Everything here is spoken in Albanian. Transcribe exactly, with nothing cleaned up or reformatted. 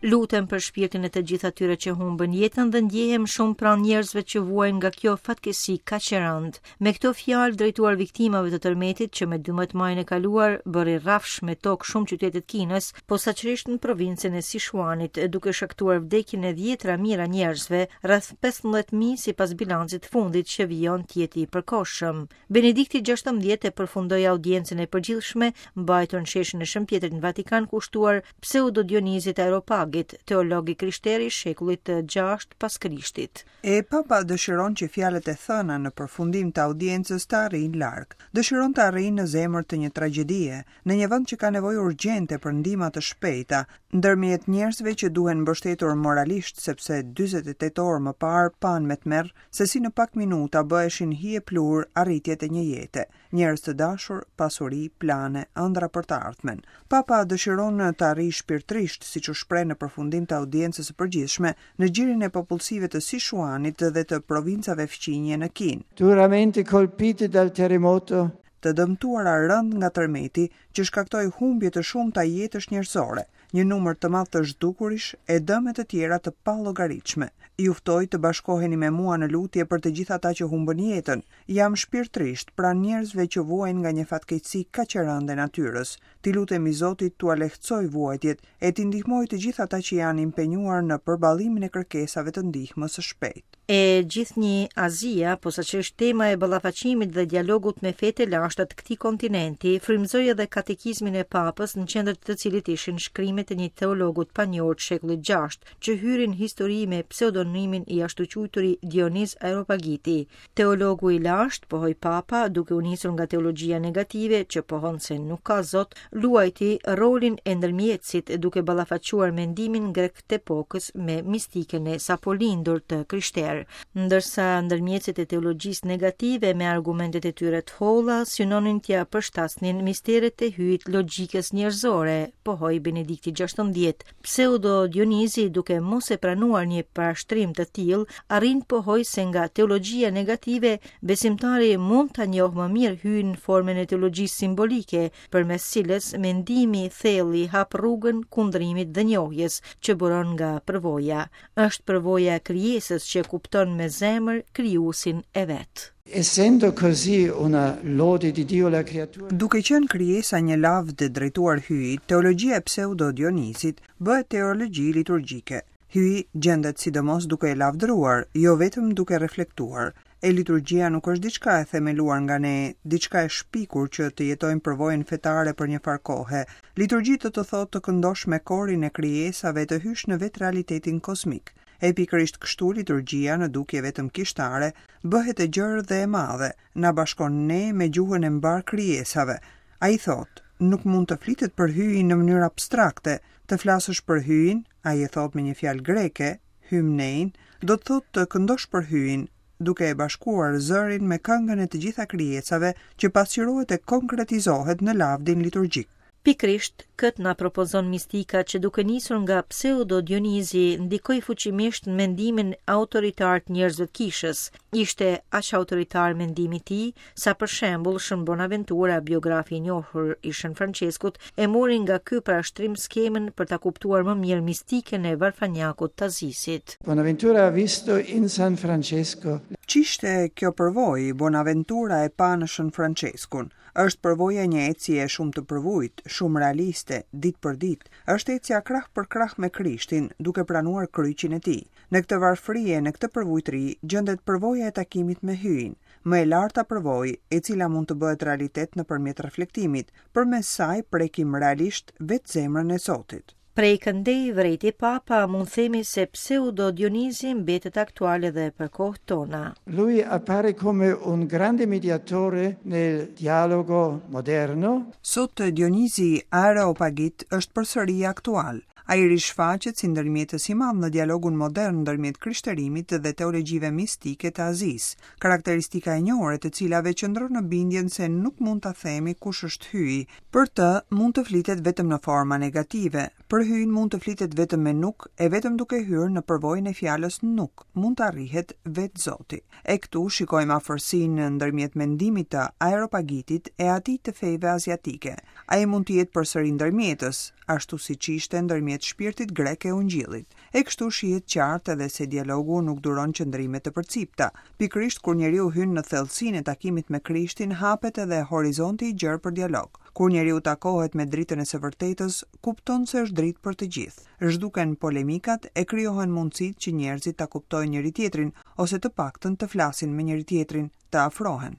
Lutem për shpirtin e të gjithë atyre që humbën jetën dhe ndjehem shumë pranë njerëzve që vuajnë nga kjo fatkeqësi kaq e rëndë. Me këto fjalë drejtuar viktimave të tërmetit që me dymbëdhjetë majin e kaluar bëri rrafsh me tokë shumë qytete të Kinës, posaçërisht në provincën e Sichuanit, duke shkaktuar vdekjen e dhjetra mijëra njerëzve, rreth pesëmbëdhjetë mijë sipas bilancit të fundit që vijon të jetë i përkohshëm. Benedikti gjashtëmbëdhjetë e përfundoi audiencën e përgjithshme mbajtur në sheshin e Shën Pjetrit në Vatikan, kushtuar Pseudo Dionizit Areopagit, teolog i krishterë i shekullit të gjashtë pas Krishtit. E Papa dëshiron që fjalët e thëna në përfundim të audiencës të arrijnë larg. Dëshiron të arrijnë në zemër të një tragjedie, në një vend që ka nevojë urgjente për ndihma të shpejta, ndërmjet njerëzve që duhen mbështetur moralisht sepse dyzet e tetë orë më parë panë me tmerr se si në pak minuta bëheshin hije plur arritjet e një jete, njerëz të dashur, pasuri, plane, ëndra për të ardhmen. Papa dëshiron të arrijë shpirtërisht, siç u shpreh në përfundim të audiencës së përgjithshme, në gjirin e popullsive të Sichuanit dhe të provincave fqinje në Kinë. Duramente colpite dal terremoto, të dëmtuara rënd nga tërmeti që shkaktoi humbje të shumta jetësh njerëzore, një numër të madh të zhdukurish e dëme të tjera të pallogaritshme. Ju ftoj të bashkoheni me mua në lutje për të gjithë ata që humbën jetën. Jam shpirtërisht pranë njerëzve që vuajnë nga një fatkeqësi kaq e rëndë e natyrës. Ti lutemi Zotit t'ua lehtësoj vuajtjet e t'i ndihmoj të gjithë ata që janë impenjuar në përballimin e kërkesave të ndihmës së shpejtë. E gjithnjë Azia, posaçërisht tema e ballafaqimit dhe dialogut me fetë e lashta të këtij kontinenti, frymëzoi edhe katekizmin e Papës, në qendër të cilit ishin shkrimet e një teologu të panjohur të shekullit gjashtë, që hyri në histori me pseudonimin i ashtuquajturi Dioniz Areopagiti. Teologu i lashtë, pohoi Papa, duke u nisur nga teologjia negative që pohon se nuk ka Zot, luajti rolin e ndërmjetësit duke ballafaquar mendimin grek të epokës me mistikën e sapolindur të krishterë. Ndërsa ndërmjetësit e teologjisë negative me argumentet e tyre të holla synonin t'ia përshtasnin misteret e hyjit logjikës njerëzore, pohoi Benedikti gjashtëmbëdhjetë. Pseudo Dionizi, duke mos e pranuar një parashtrim të tillë, arrin të pohoi se nga teologjia negative besimtari mund ta njohë më mirë hyjin në formën e teologjisë simbolike, përmes cilës mendimi i thellë i hap rrugën kundrimit dhe njohjes që buron nga përvoja. Është përvoja e krijesës që kupton me zemër krijuesin e vet. Essendo così una lode di Dio la creatura. Duke qenë krijesa një lavdë drejtuar hyjit, teologjia e Pseudo Dionizit bëhet teologji liturgjike. Hyji gjendet sidomos duke e lavdëruar, jo vetëm duke reflektuar. E liturgjia nuk është diçka e themeluar nga ne, diçka e shpikur që të jetojmë përvojën fetare për një farë kohe. Liturgji do të thotë të këndosh me korin e krijesave të hysh në vetë realitetin kozmik. E pikërisht kështu liturgjia në dukje vetëm kishtare bëhet e gjerë dhe e madhe, na bashkon ne me gjuhën e mbar krijesave. Ai thotë, nuk mund të flitet për hyjin në mënyrë abstrakte, të flasësh për hyjin, ai e thotë me një fjalë greke, hymnein, do të thotë të këndosh për hyjin, duke e bashkuar zërin me këngën e të gjitha krijesave që pasqyrohet e konkretizohet në lavdin liturgjik. Pikërisht këtë na propozon mistika që duke nisur nga Pseudo Dionizi ndikoi fuqimisht në mendimin autoritar të njerëzve të kishës. Ishte aq autoritar mendimi i tij sa për shembull Shën Bonaventura, biografi i njohur i Shën Franceskut, e mori nga ky parashtrim skemën për ta kuptuar më mirë mistikën e varfanjakut të Azisit. Bonaventura ha visto in San Francesco. Ç'ishte kjo përvojë Bonaventura e pa në Shën Franceskun? Është përvoja një ecje shumë të përvujt, shumë realiste, ditë për ditë. Është ecja krah për krah me Krishtin, duke pranuar kryqin e tij. Në këtë varfëri e në këtë përvujtëri gjendet përvoja e takimit me Hyjin, më e larta përvojë, e cila mund të bëhet realitet nëpërmjet reflektimit, përmes saj prekim realisht vetë zemrën e Zotit. Prej këndej vrejti Papa, mund themi se Pseudo Dionizi mbetet aktuale dhe për kohë tona. Lui appare come un grande mediatore nel dialogo moderno. Sot Dionizi Areopagit është përsëri aktual. Ai rishfaqet si ndërmjetës i madh në dialogun modern ndërmjet krishterimit dhe teologjive mistike të Azisë, karakteristika e njohur e të cilave qëndron në bindjen se nuk mund ta themi kush është hyji. Për të mund të flitet vetëm në forma negative, për hyjin mund të flitet vetëm me nuk e vetëm duke hyrë në përvojën e fjalës nuk, mund të arrihet vetë Zoti. E këtu shikojmë afërsinë ndërmjet mendimit të Areopagitit e atij të fejve aziatike. Ai mund të jetë përsëri ndërmjetës, ashtu siç ishte ndërmjetës nëpërmjet shpirtit grek e ungjillit. E kështu shihet qartë edhe se dialogu nuk duron qëndrime të përcipta. Pikërisht kur njeriu hyn në thellësinë e takimit me Krishtin, hapet edhe horizonti i gjerë për dialog. Kur njeriu takohet me dritën e së vërtetës, kupton se është dritë për të gjithë. Zhduken polemikat e krijohen mundësitë që njerëzit ta kuptojnë njëri tjetrin ose të paktën të flasin me njëri tjetrin, të afrohen.